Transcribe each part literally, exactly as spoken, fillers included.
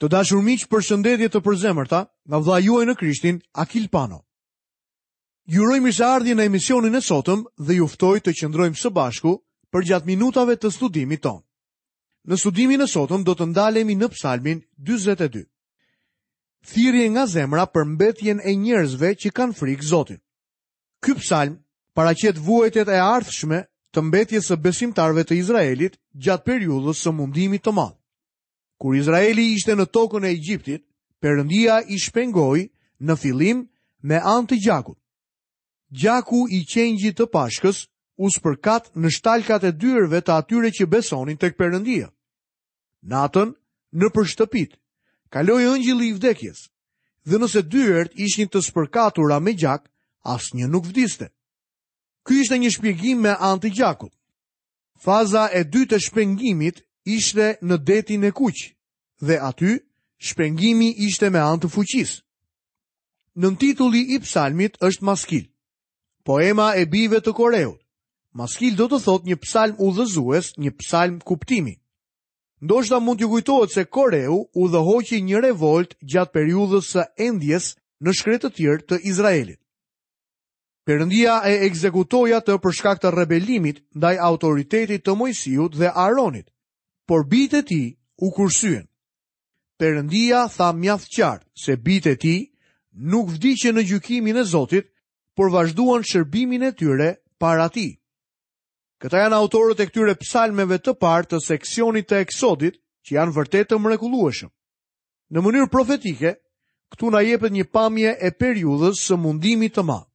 Të dashur miq, përshëndetje të përzemërta nga vëllai juaj në Krishtin, Akil Pano. Ju uroj mirëseardhje në emisionin e sotëm dhe ju ftoj të qëndrojmë së bashku përgjatë minutave të studimit tonë. Në studimin e sotëm do të ndalemi në Psalmin dyzet e dy. Thirrje nga zemra për mbetjen e njerëzve që kanë frikë Zotin. Ky psalm paraqet vuajtjet e ardhshme të mbetjes së besimtarëve të Izraelit gjatë periudhës së mundimit të madh. Kur Izraeli ishte në tokën e Egjiptit, Perëndia i shpengoi në fillim me anë të gjakut. Gjaku i qengjit të Pashkës u spërkat në shtalkat e dyerve të atyre që besonin tek Perëndia. Natën, nëpër shtëpit, kaloi engjëlli i vdekjes, dhe nëse dyert ishin të spërkatura me gjak, asnjë nuk vdiste. Ky ishte një shpjegim me anë të gjakut. Faza e dytë e shpengimit ishte në detin e Kuq, dhe aty shpengimi ishte me anë të fuqisë. Nëntitulli i psalmit është Maskil, poema e bijve të Koreut. Maskil do të thotë një psalm udhëzues, një psalm kuptimi. Ndoshta mund t'ju kujtohet se Koreu udhëhoqi një revolt gjatë periudhës së endjes në shkretëtirë të Izraelit. Perëndia e ekzekutoi atë për shkak të rebelimit ndaj autoritetit të Moisiut dhe Aaronit, por bijtë e tij u kursyen. Perëndia tha mjaft qartë se bijtë e tij nuk vdiqën në gjykimin e Zotit, por vazhduan shërbimin e tyre para tij. Këta janë autorët e këtyre psalmeve të parë të seksionit të Eksodit, që janë vërtet të mrekullueshëm. Në mënyrë profetike, këtu na jepet një pamje e periudhës së mundimit të madh.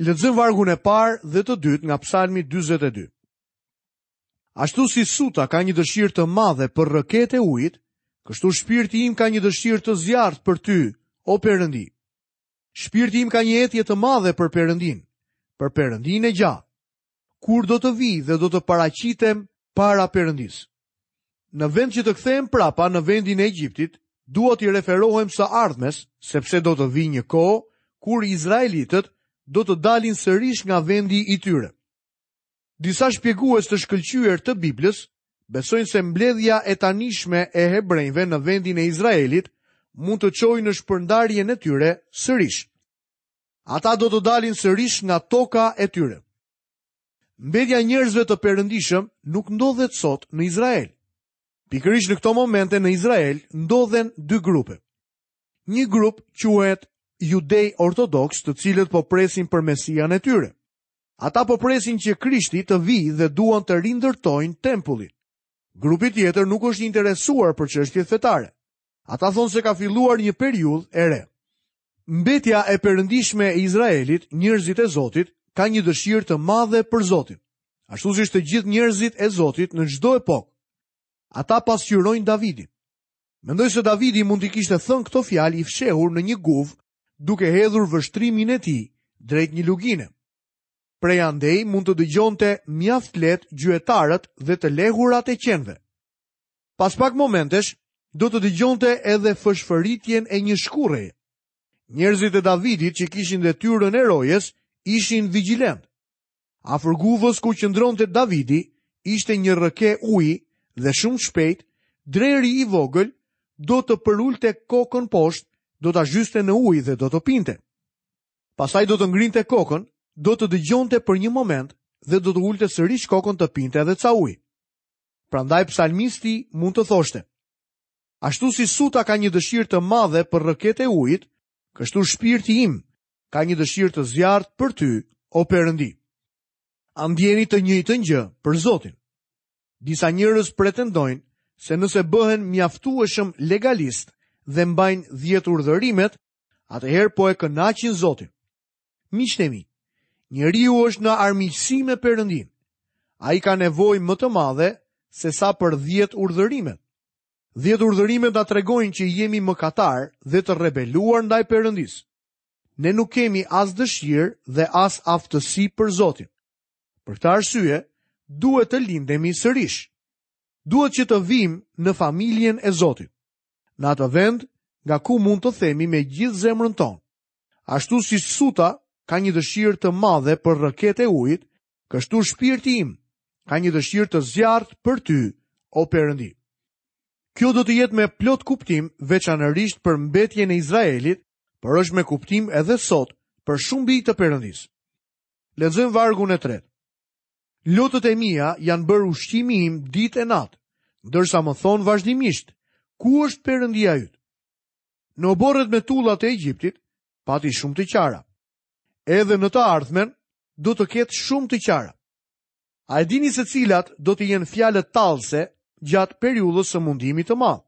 Lexojmë vargun e parë dhe të dytë nga Psalmi dyzet e dy. Ashtu si suta ka një dëshirë të madhe për rrëket e ujit, kështu shpirti im ka një dëshirë të zjarrt për ty, o Perëndi. Shpirti im ka një etje të madhe për Perëndin, për Perëndin e gjallë. Kur do të vi dhe do të paraqitem para Perëndis? Në vend që të kthehem prapa në vendin e Egjiptit, dua t'i referohem së ardhmes, sepse do të vi një kohë kur izraelitët do të dalin sërish nga vendi i tyre. Disa shpjegues të shkëlqyer të Biblës besojnë se mbledhja e tanishme e hebrejve në vendin e Izraelit mund të çojë në shpërndarjen e tyre sërish. Ata do të dalin sërish nga toka e tyre. Mbledhja e njerëzve të perëndishëm nuk ndodhet sot në Izrael. Pikërisht në këto momente në Izrael ndodhen dy grupe. Një grup quhet judej ortodoks, të cilët po presin për Mesian e tyre. Ata po presin që Krishti të vijë dhe duan të rindërtojnë tempullin. Grupi tjetër nuk është interesuar për çështjet fetare. Ata thonë se ka filluar një periudhë e re. Mbetja e perëndishme e Izraelit, njerëzit e Zotit, ka një dëshirë të madhe për Zotin, ashtu siç të gjithë njerëzit e Zotit në çdo epokë. Ata pasqyrojnë Davidin. Mendoj se Davidi mund t'i kishte thënë këto fjalë i fshehur në një guvë, duke hedhur vështrimin e tij drejt një lugine. Prej andej mund të dëgjonte mjaft lehtë gjuetarët dhe të lehurat e qenve. Pas pak momentesh, do të dëgjonte edhe fëshfëritjen e një shkurreje. Njerëzit e Davidit që kishin detyrën e rojes ishin vigjilent. Afër guvës ku qëndronte Davidi ishte një rrëke uji dhe shumë shpejt dreri i vogël do të përulte kokën poshtë, do ta zhyste në ujë dhe do të pinte. Pastaj do të ngrinte kokën, do të dëgjonte për një moment dhe do të ulte sërish kokën të pinte edhe ca ujë. Prandaj psalmisti mund të thoshte: Ashtu si suta ka një dëshirë të madhe për rrëket e ujit, kështu shpirti im ka një dëshirë të zjarrt për ty, o Perëndi. A ndjeni të njëjtën gjë për Zotin? Disa njerëz pretendojnë se nëse bëhen mjaftueshëm legalist dhe mbajnë dhjetë urdhërimet, atëherë po e kënaqin Zotin. Miqtë e mi, njeriu është në armiqësi me Perëndin. Ai ka nevojë më të madhe se sa për dhjetë urdhërimet. Dhjetë urdhërimet na tregojnë që jemi mëkatar dhe të rebeluar ndaj Perëndis. Ne nuk kemi as dëshirë dhe as aftësi për Zotin. Për këtë arsye, duhet të lindemi sërish. Duhet që të vim në familjen e Zotit, në atë vend nga ku mund të themi me gjithë zemrën tonë. Ashtu si suta ka një dëshirë të madhe për rrëket e ujit, kështu shpirti im ka një dëshirë të zjarrt për ty, o Perëndi. Kjo do të jetë me plot kuptim veçanërisht për mbetjen e Izraelit, por është me kuptim edhe sot për shumë bij të Perëndisë. Lexojmë vargun e tretë. Lotët e mia janë bërë ushqimi im ditë e natë, ndërsa më thonë vazhdimisht, ku është Perëndia yt? Në oborret me tulla të Egjiptit pati shumë të qara. Edhe në të ardhmen do të ketë shumë të qara. A e dini se cilat do të jenë fjalët tallëse gjatë periudhës së mundimit të madh?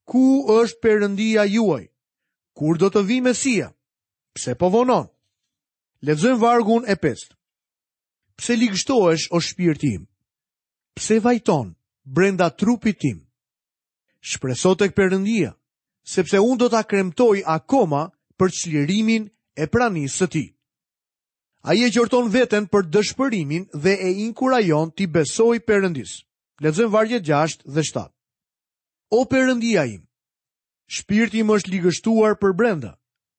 Ku është Perëndia juaj? Kur do të vijë Mesia? Pse po vonon? Lexojmë vargun e pestë. Pse ligështohesh, o shpirti im? Pse vajton brenda trupit tim? Shpreso tek Perëndia, sepse unë do ta kremtoj akoma për çlirimin e pranisë së tij. Ai e qorton veten për dëshpërimin dhe e inkurajon t'i besojë Perëndisë. Lexojmë vargjet gjashtë dhe shtatë. O Perëndia im, shpirti im është ligështuar për brenda.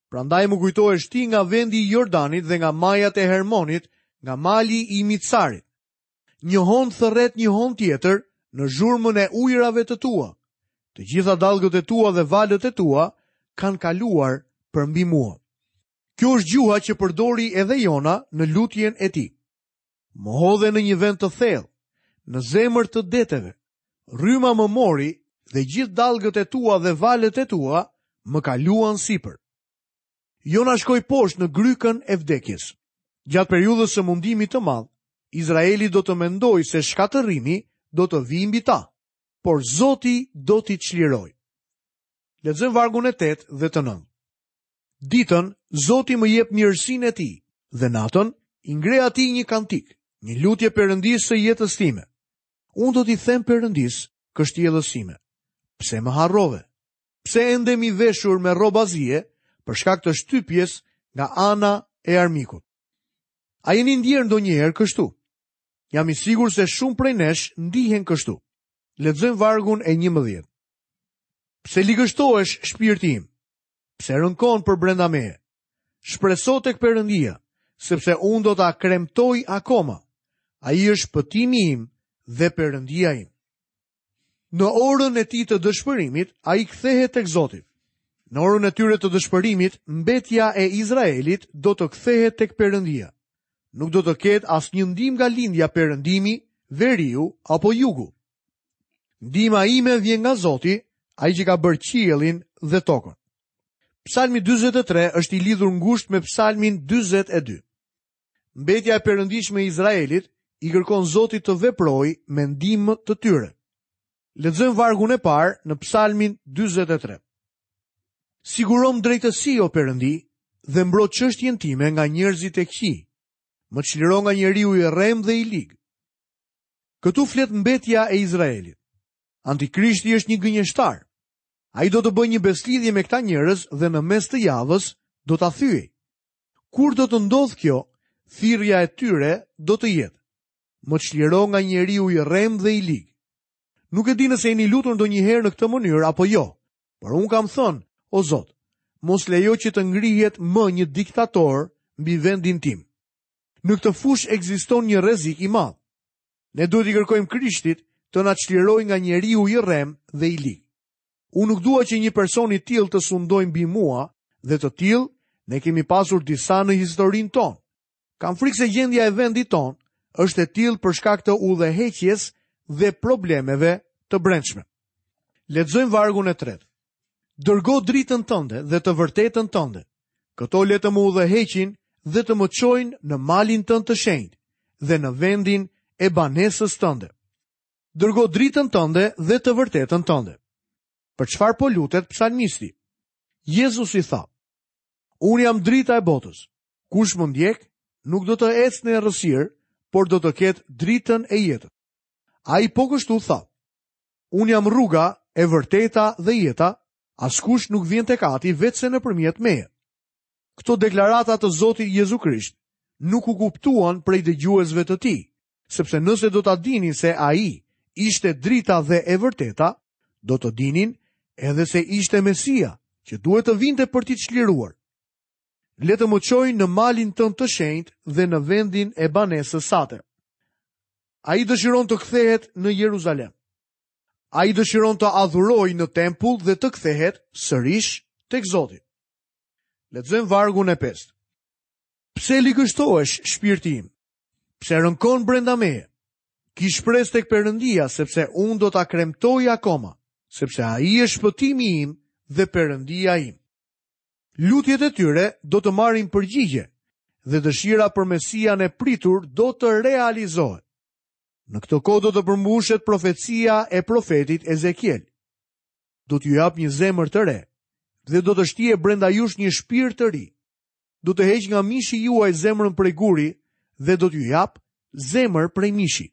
Prandaj më kujtohesh ti nga vendi i Jordanit dhe nga majat e Hermonit, nga mali i Mitsarit. Një hon thërret një hon tjetër në zhurmën e ujërave të tua. Të gjitha dallgët e tua dhe valët e tua kanë kaluar përmbi mua. Kjo është gjuha që përdori edhe Jona në lutjen e tij. Më hodhe në një vend të thellë, në zemër të deteve. Rryma më mori dhe gjithë dallgët e tua dhe valët e tua më kaluan sipër. Jona shkoi poshtë në grykën e vdekjes. Gjatë periudhës së mundimit të madh, Izraeli do të mendojë se shkatërrimi do të vijë mbi ta, por Zoti do t'i çlirojë. Lexojmë vargun e tetë dhe të nëntë. Ditën, Zoti më jep mirësinë e tij, dhe natën i ngre atij një kantik, një lutje Perëndisë së jetës time. Unë do t'i them Perëndisë, kështjellës sime, pse më harrove? Pse endem i veshur me rroba zie për shkak të shtypjes nga ana e armikut? A jeni ndjerë ndonjëherë kështu? Jam i sigurt se shumë prej nesh ndihen kështu. Lexojmë vargun e njëmbëdhjetë. Pse ligështohesh shpirti im? Pse rënkon për brenda meje? Shpreso tek Perëndia, sepse unë do ta kremtoj akoma. Ai është shpëtimi im dhe Perëndia im. Në orën e tij të dëshpërimit, ai kthehet tek Zoti. Në orën e tyre të dëshpërimit, mbetja e Izraelit do të kthehet tek Perëndia. Nuk do të ketë asnjë ndihmë nga lindja, perëndimi, veriu apo jugu. Ndihma ime vjen nga Zoti, ai që ka bërë qiellin dhe tokën. Psalmi dyzet e tre është i lidhur ngushtë me Psalmin dyzet e dy. Mbetja e perëndishme e Izraelit i kërkon Zotit të veprojë me ndihmë të tyre. Lexojmë vargun e parë në Psalmin dyzet e tre. Sigurom drejtësi, o Perëndi, dhe mbro çështjen time nga njerëzit e këqij. Më çliro nga njeriu i rrem dhe i lig. Këtu flet mbetja e Izraelit. Antikrishti është një gënjeshtar. Ai do të bëjë një beslidhje me këta njerëz dhe në mes të javës do ta thyej. Kur do të ndodhë kjo, thirrja e tyre do të jetë: Më çliro nga njeriu i rrem dhe i lig. Nuk e di nëse jeni lutur ndonjëherë në këtë mënyrë apo jo, por unë kam thënë, o Zot, mos lejo që të ngrihet më një diktator mbi vendin tim. Në këtë fushë ekziston një rrezik i madh. Ne duhet i kërkojmë Krishtit të na çlirojë nga njeriu i rrem dhe i lig. Unë nuk dua që një person i tillë të sundojë mbi mua, dhe të tillë ne kemi pasur disa në historinë tonë. Kam frikë se gjendja e vendit tonë është e tillë për shkak të udhëheqjes dhe problemeve të brendshme. Lexojmë vargun e tretë. Dërgo dritën tënde dhe të vërtetën tënde. Këto le të më udhëheqin dhe të më çojnë në malin tënd të shenjtë dhe në vendin e banesës tënde. Dërgo dritën tënde dhe të vërtetën tënde. Për çfarë po lutet psalmisti? Jezusi tha: Unë jam drita e botës. Kush më ndjek, nuk do të ecë në errësirë, por do të ketë dritën e jetës. Ai po kështu tha: Unë jam rruga, e vërteta dhe jeta, askush nuk vjen tek Ati vetse nëpërmjet meje. Këto deklarata të Zotit Jezu Krisht nuk u kuptuan prej dëgjuesve të tij, sepse nëse do ta dinin se ai ishte drita dhe e vërteta, do të dinin edhe se ishte Mesia, që duhet të vinte për t'i çliruar. Le të më çojnë në malin tënd të shenjtë dhe në vendin e banesës sate. Ai dëshiron të kthehet në Jeruzalem. Ai dëshiron të adhurojë në tempull dhe të kthehet sërish tek Zoti. Lexojmë vargun e pestë. Pse ligështohesh, shpirti im? Pse rënkon brenda meje? Ki shpresë tek Perëndia, sepse unë do ta kremtoj akoma, sepse ai është shpëtimi im dhe Perëndia im. Lutjet e tyre do të marrin përgjigje dhe dëshira për Mesian e pritur do të realizohet. Në këtë kohë do të përmbushet profecia e profetit Ezekiel. Do t'ju jap një zemër të re dhe do të shtije brenda jush një shpirt të ri. Do të heq nga mishi juaj zemrën prej guri dhe do t'ju jap zemër prej mishi.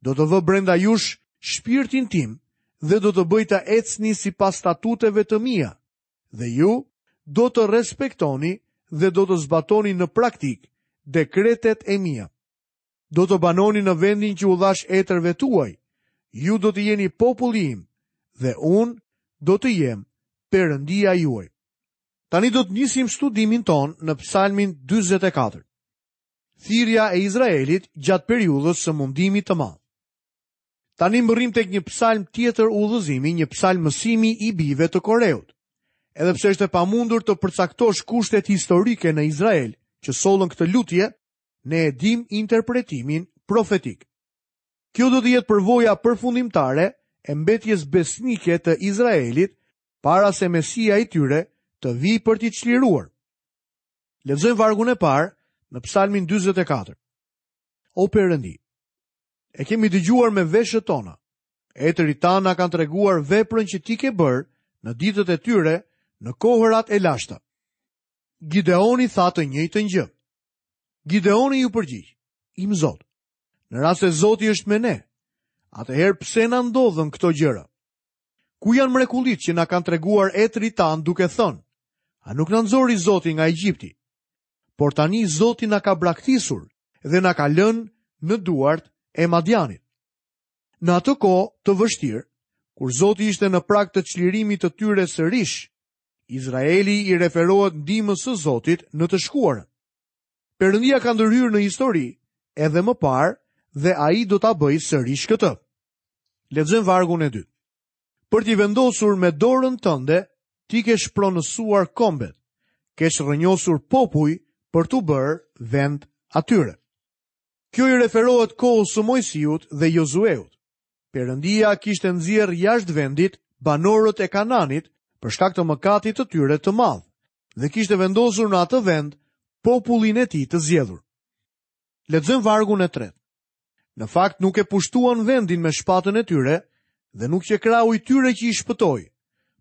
Do të vë brenda jush shpirtin tim dhe do të bëj të ecni sipas statuteve të mia, dhe ju do të respektoni dhe do të zbatoni në praktikë dekretet e mia. Do të banoni në vendin që u dhash etërve tuaj. Ju do të jeni populli im dhe unë do të jem Perëndia juaj. Tani do të nisim studimin ton në Psalmin dyzet e katër. Thirrja e Izraelit gjatë periudhës së mundimit të madh. Tani mbërrim tek një psalm tjetër udhëzimi, një psalm mësimi i bijve të Koreut. Edhe pse është e pamundur të përcaktosh kushtet historike në Izrael që sollën këtë lutje, ne e dim interpretimin profetik. Kjo do të jetë përvoja përfundimtare e mbetjes besnike të Izraelit para se Mesia i tyre të vijë për t'i çliruar. Lexojmë vargun e parë në Psalmin dyzet e katër. O Perëndi, e kemi dëgjuar me veshët tona. Etërit tanë na kanë treguar veprën që ti ke bërë në ditët e tyre, në kohërat e lashta. Gideoni tha të njëjtën gjë. Gideoni ju përgjigj: Im Zot, në rast se Zoti është me ne, atëherë pse na ndodhën këto gjëra? Ku janë mrekullitë që na kanë treguar etërit tanë duke thënë: A nuk na nxori Zoti nga Egjipti? Por tani Zoti na ka braktisur dhe na ka lënë në duart e Madianit. Në atë kohë të vështirë, kur Zoti ishte në prag të çlirimit të tyre sërish, Izraeli i referohet ndihmës së Zotit në të shkuarën. Perëndia ka ndërhyrë në histori edhe më parë dhe ai do ta bëjë sërish këtë. Lexojmë vargun e dytë. Për t'i vendosur me dorën tënde, ti ke shpronësuar kombet, ke shrrënjosur popuj për t'u bërë vend atyre. Kjo i referohet kohës së Mojsiut dhe Jozueut. Perëndia kishte nxjerrë jashtë vendit banorët e Kananit për shkak të mëkatit të tyre të madh dhe kishte vendosur në atë vend popullin e tij të zgjedhur. Lexojmë vargun e tretë. Në fakt nuk e pushtuan vendin me shpatën e tyre dhe nuk qe krahu i tyre që i shpëtoi,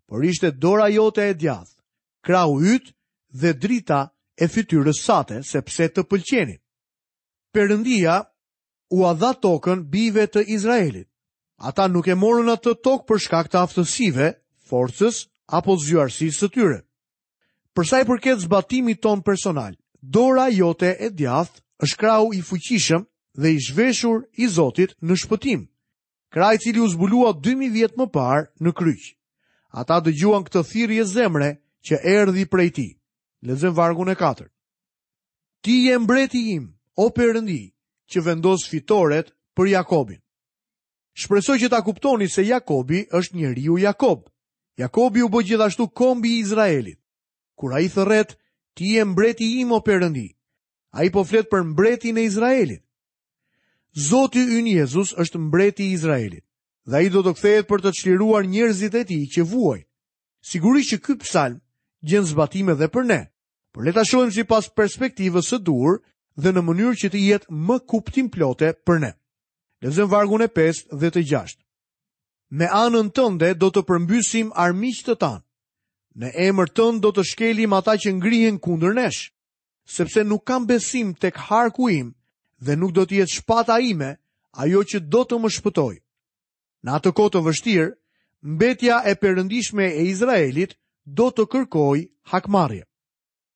por ishte dora jote e djathtë, krahu yt dhe drita e fytyrës sate, sepse të pëlqenin. Perëndia ua dha tokën bijve të Izraelit. Ata nuk e morën atë tokë për shkak të aftësive, forcës apo zgjuarsisë së tyre. Për sa i përket zbatimit ton personal, dora jote e djathtë është krahu i fuqishëm dhe i zhveshur i Zotit në shpëtim, krah i cili u zbulua dy mijë vjet më parë në kryq. Ata dëgjuan këtë thirrje zemre që erdhi prej tij. Lexojmë vargun e katërt. Ti je mbreti im, o Perëndi, që vendos fitoret për Jakobin. Shpresoj që ta kuptoni se Jakobi është njeriu Jakob. Jakobi u bë gjithashtu kombi i Izraelit. Kur ai thërret, ti je mbreti im, o Perëndi, ai po flet për mbretin e Izraelit. Zoti ynë Jezus është mbreti i Izraelit dhe ai do të kthehet për të çliruar njerëzit e tij që vuajnë. Sigurisht që ky psalm gjen zbatim edhe për ne, por le ta shohim sipas perspektivës së duhur dhe në mënyrë që të jetë më kuptimplote për ne. Lexojmë vargun e pestë dhe të gjashtë. Me anën tënde do të përmbysim armiqtë tanë. Në emër tënd do të shkelim ata që ngrihen kundër nesh, sepse nuk kam besim tek harku im dhe nuk do të jetë shpata ime ajo që do të më shpëtojë. Në atë kohë të vështirë, mbetja e perëndishme e Izraelit do të kërkojë hakmarrje.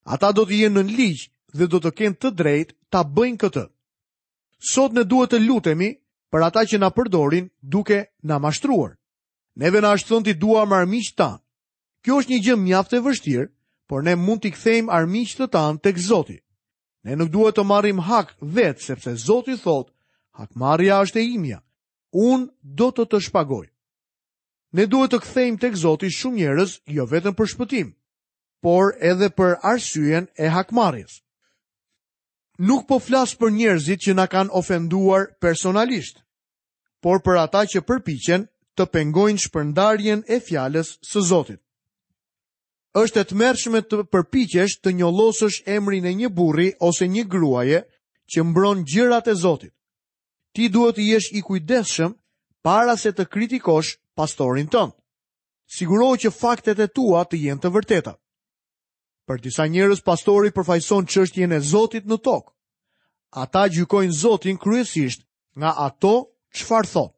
Ata do të jenë në ligj dhe do të kenë të drejtë ta bëjnë këtë. Sot ne duhet të lutemi për ata që na përdorin duke na mashtruar. Neve na është thënë t'i duam armiqtë tanë. Kjo është një gjë mjaft e vështirë, por ne mund t'i kthejmë armiqtë tanë tek Zoti. Ne nuk duhet të marrim hak vetë, sepse Zoti thotë, hakmarrja është e imja, unë do të të shpagoj. Ne duhet të kthejmë tek Zoti shumë njerëz, jo vetëm për shpëtim, por edhe për arsyen e hakmarrjes. Nuk po flas për njerëzit që na kanë ofenduar personalisht, por për ata që përpiqen të pengojnë shpërndarjen e fjalës së Zotit. Është e tmerrshme të përpiqesh të njollosësh emrin e një burri ose një gruaje që mbron gjërat e Zotit. Ti duhet të jesh i kujdesshëm para se të kritikosh pastorin tënd. Sigurohu që faktet e tua të jenë të vërteta. Për disa njerëz pastori përfaqëson çështjen e Zotit në tokë. Ata gjykojnë Zotin kryesisht nga ato çfarë thotë.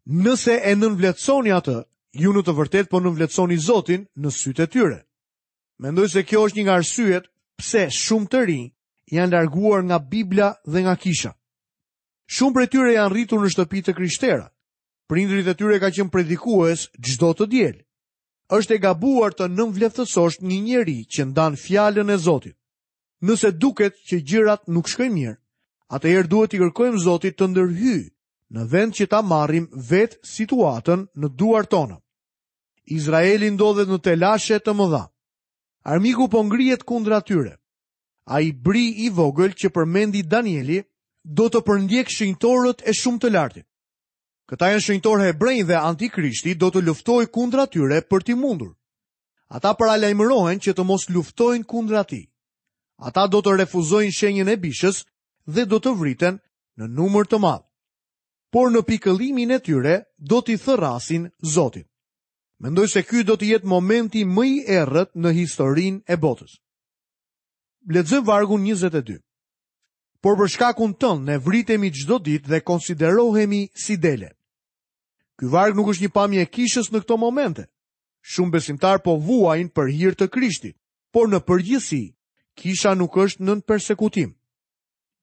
Nëse e nënvlerësoni atë, ju në të vërtetë po nënvlerësoni Zotin në sytë e tyre. Mendoj se kjo është një nga arsyet pse shumë të rinj janë larguar nga Bibla dhe nga kisha. Shumë prej tyre janë rritur në shtëpi të krishtera. Prindërit e tyre kanë qenë predikues çdo të diel. Është e gabuar të nënvlerësosh një njeri që ndan fjalën e Zotit. Nëse duket që gjërat nuk shkojnë mirë, atëherë duhet t'i kërkojmë Zotit të ndërhyjë në vend që ta marrim vetë situatën në duart tona. Izraeli ndodhet në telashe të mëdha. Armiku po ngrihet kundra tyre. Ai bri i vogël që përmendi Danieli do të përndjek shenjtorët e shumë të lartit. Këta janë shenjtorë hebrenj dhe antikrishti do të luftojë kundra tyre për t'i mundur. Ata paralajmërohen që të mos luftojnë kundra tij. Ata do të refuzojnë shenjën e bishës dhe do të vriten në numër të madh. Por në pikëllimin e tyre do t'i thërrasin Zotit. Mendoj se ky do të jetë momenti më i errët në historinë e botës. Lexojmë vargun njëzet e dy. Por për shkakun tënd ne vritemi çdo ditë dhe konsiderohemi si dele. Ky varg nuk është një pamje e kishës në këto momente. Shumë besimtar po vuajnë për hir të Krishtit, por në përgjithësi kisha nuk është nën persekutim.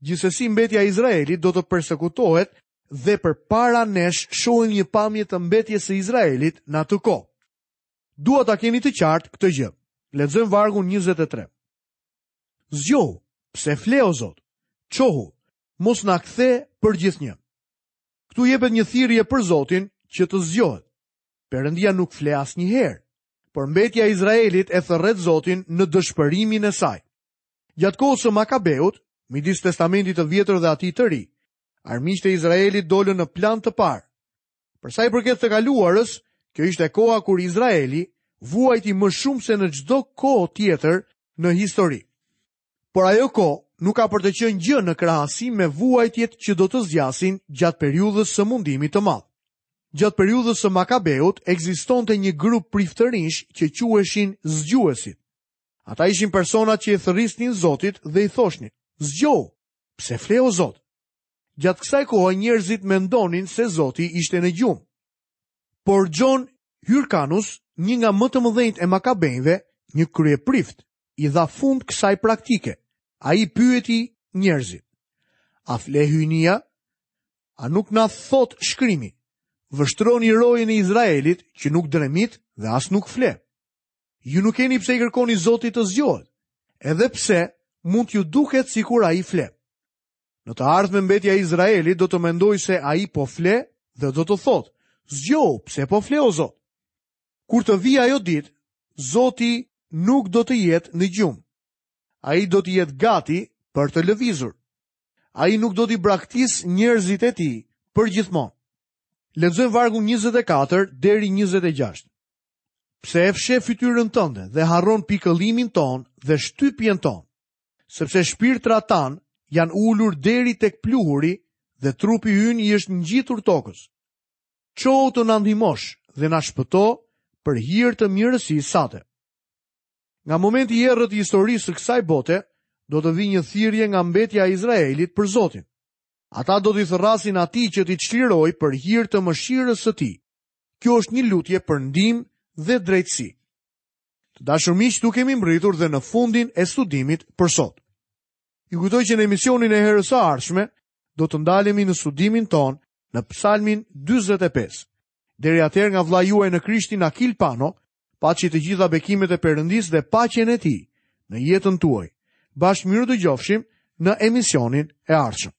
Gjithsesi mbetja e Izraelit do të persekutohet dhe përpara nesh shohim një pamje të mbetjes së Izraelit në atë kohë. Dua ta keni të qartë këtë gjë. Lexojmë vargun njëzet e tre. Zgjohu, pse fle o Zot? Çohu, mos na kthe për gjithnjë. Këtu jepet një thirrje për Zotin që të zgjohet. Perëndia nuk fle asnjëherë, por mbetja e Izraelit e thërret Zotin në dëshpërimin e saj. Gjatë kohës së Makabeut, midis Testamentit të Vjetër dhe atij të Ri, armiqtë e Izraelit dolën në plan të parë. Për sa i përket të kaluarës, kjo ishte koha kur Izraeli vuajti më shumë se në çdo kohë tjetër në histori. Por ajo kohë nuk ka për të qenë gjë në krahasim me vuajtjet që do të zgjasin gjatë periudhës së mundimit të madh. Gjatë periudhës së Makabeut ekzistonte një grup priftërinj që quheshin zgjuesit. Ata ishin personat që i thërrisnin Zotit dhe i thoshnin: "Zgjohu, pse fle o Zot?" Gjatë kësaj kohe njerëzit mendonin se Zoti ishte në gjumë. Por John Hyrcanus, një nga më të mëdhenjtë e Makabenjve, një kryeprift, i dha fund kësaj praktike. Ai pyeti njerëzit: "A fle hyjnia? A nuk na thot shkrimi? Vështroni rojën e Izraelit që nuk dremit dhe as nuk fle." Ju nuk keni pse i kërkoni Zotit të zgjohet, edhe pse mund t'ju duket sikur ai fle. Në të ardhme mbetja e Izraelit do të mendojë se ai po fle dhe do të thotë: "Zgjohu, pse po fle o Zot?" Kur të vijë ajo ditë, Zoti nuk do të jetë në gjumë. Ai do të jetë gati për të lëvizur. Ai nuk do t'i braktis njerëzit e tij për gjithmonë. Lexojmë vargun njëzet e katër deri njëzet e gjashtë. Pse e fsheh fytyrën tënde dhe harron pikëllimin ton dhe shtypjen ton? Sepse shpirtrat tan janë ulur deri tek pluhuri dhe trupi ynë i është ngjitur tokës. Çohu të na ndihmosh dhe na shpëto për hir të mirësisë sate. Nga momenti i errët i historisë së kësaj bote, do të vijë një thirrje nga mbetja e Izraelit për Zotin. Ata do t'i thërrasin atij që t'i çlirojë për hir të mëshirës së tij. Kjo është një lutje për ndihmë dhe drejtësi. Të dashur miq, tu kemi mbërritur dhe në fundin e studimit për sot. Ju kujtoj që në emisionin e herës së ardhshme do të ndalemi në studimin ton në Psalmin dyzet e pesë. Deri atëherë nga vëllai juaj në Krishtin Akil Pano, paçi të gjitha bekimet e Perëndisë dhe paqen e tij në jetën tuaj. Bashkë mirë dëgjofshim në emisionin e ardhshëm.